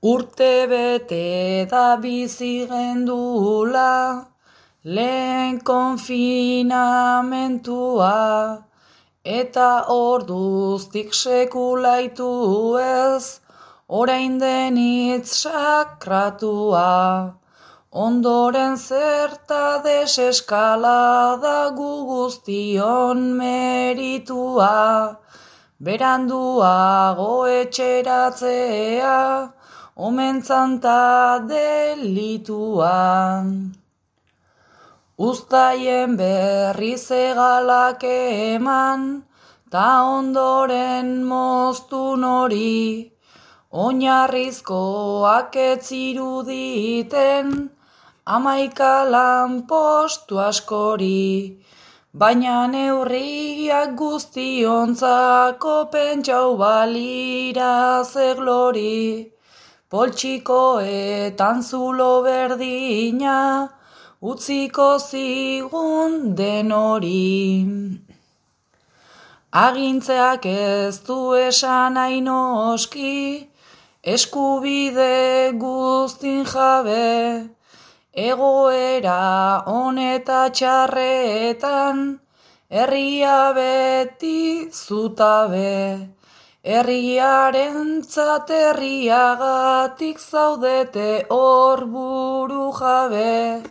Urte bete da bizi gendula, lehen konfinamentua, eta orduztik sekulaitu ez, orain denitz sakratua. Ondoren zerta deseskalada gu guztion meritua, beranduago etxeratzea, omentzanta delitua. Uztaien berriz egalak eman, ta ondoren moztu nori, oinarrizkoak ez ziruditen, 11 lanpostu askori, baina neurriak guztiontzako pentsau balira ze glori, poltsikoetan zulo berdina, utziko zigun denori. Agintzeak ez du esan nahi noski, eskubide guztin jabe, egoera honeta txarretan, herria beti zutabe. Herriarentzat herriagatik zaudete hor buru jabe,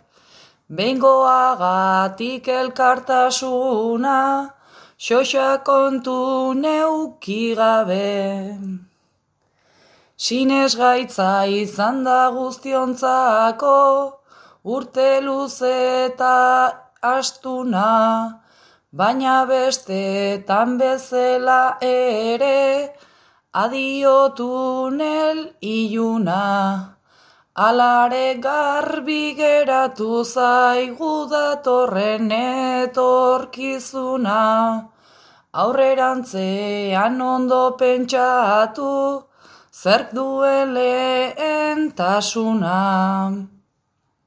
behingoagatik elkartasuna, xoxa kontu neuki gabe. Sinesgaitza izan da guztiontzako, urte luze eta astuna, baina bestetan bezala ere, adio tunel iluna. Alare garbi geratu zaigu datorren etorkizuna, aurrerantzean ondo pentsatu, zerk duen lehentasuna.